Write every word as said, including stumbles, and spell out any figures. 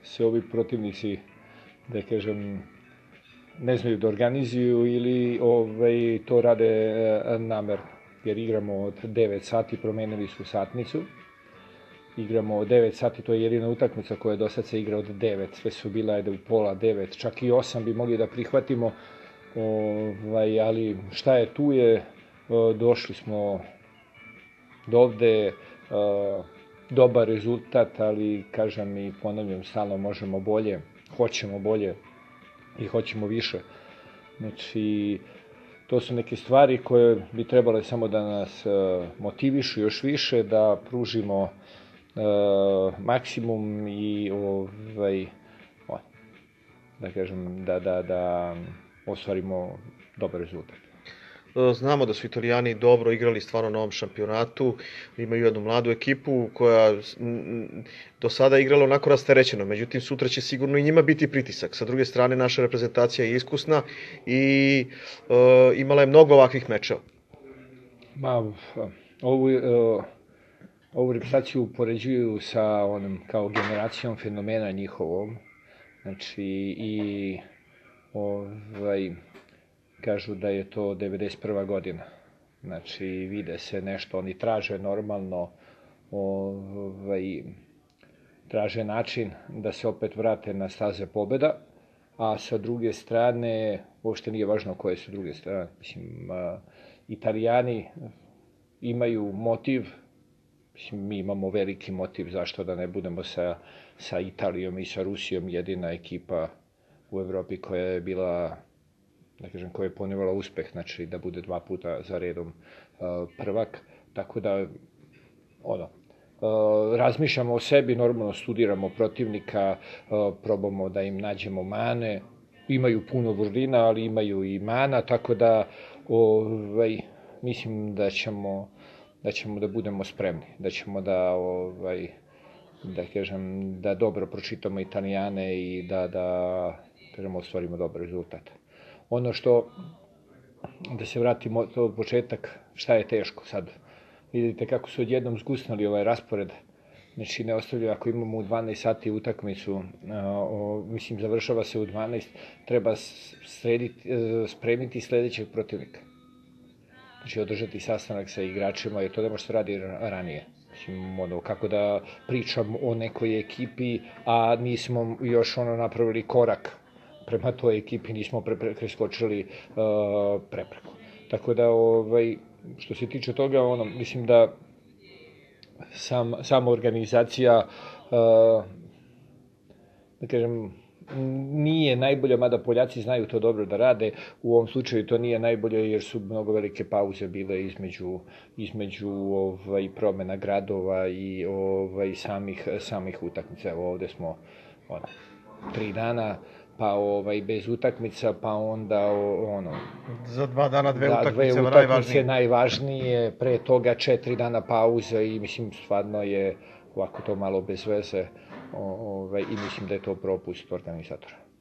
se ovi protivnici, da kažem, ne znaju da organizuju ili ovaj, to rade namerno. Jer igramo od devet sati, promenili su satnicu. Igramo od devet sati, to je jedina utakmica koja do sad se igra od devet. Sve su bila ajde u pola devet, čak i osam bi mogli da prihvatimo. Ovaj, ali šta je tu je, došli smo do ovde, dobar rezultat, ali kažem i ponavljam, stalno možemo bolje, hoćemo bolje i hoćemo više. Znači, to su neke stvari koje bi trebale samo da nas motivišu još više, da pružimo maksimum i ovaj, da kažem, da, da, da ostvarimo dobar rezultat. Znamo da su Italijani dobro igrali stvarno na ovom šampionatu, imaju jednu mladu ekipu koja do sada igrala onako rasterećeno, međutim sutra će sigurno i njima biti pritisak. Sa druge strane, naša reprezentacija je iskusna i e, imala je mnogo ovakvih mečeva. Ma, ovu, ovu reprezentaciju upoređuju sa onom kao generacijom fenomena njihovom, znači i ovaj, kažu da je to devedeset prva godina. Znači, vide se nešto, oni traže normalno, ovaj, traže način da se opet vrate na staze pobeda, a sa druge strane, uopšte nije važno koje su druge strane, mislim, a, Italijani imaju motiv, mislim, mi imamo veliki motiv zašto da ne budemo sa, sa Italijom i sa Rusijom jedina ekipa u Evropi koja je bila, da kažem, koja je ponivala uspeh, znači da bude dva puta za redom uh, prvak, tako da, ono, uh, razmišljamo o sebi, normalno studiramo protivnika, uh, probamo da im nađemo mane, imaju puno vrlina, ali imaju i mana, tako da, ovaj, mislim da ćemo, da ćemo da budemo spremni, da ćemo da, ovaj, da kažem, da dobro pročitamo Italijane i da, da, kažemo, ostvarimo dobar rezultat. Ono što, da se vratimo od početak, šta je teško sad. Vidite kako su odjednom zgusnali ovaj raspored. Znači, ne ostavljaju, ako imamo u dvanaest sati utakmicu, o, mislim, završava se u dvanaest, treba srediti, spremiti sledećeg protivnika. Znači, održati sastanak sa igračima, jer to ne može se radi ranije. Mislim, ono, kako da pričam o nekoj ekipi, a nismo još ono napravili korak prema toj ekipi, nismo preskočili uh, prepreku. Tako da, ovaj, što se tiče toga, ono, mislim da sam, sama organizacija, uh, da kažem, nije najbolja, mada Poljaci znaju to dobro da rade, u ovom slučaju to nije najbolje jer su mnogo velike pauze bile između, između ovaj, promena gradova i ovaj, samih, samih utakmica. Evo ovde smo ono, tri dana, pa ovaj, bez utakmica, pa onda ono... Za dva dana dve da, utakmice, dve utakmice najvažnije, pre toga četiri dana pauze i mislim stvarno je ovako to malo bez veze ovaj, i mislim da je to propust organizatora.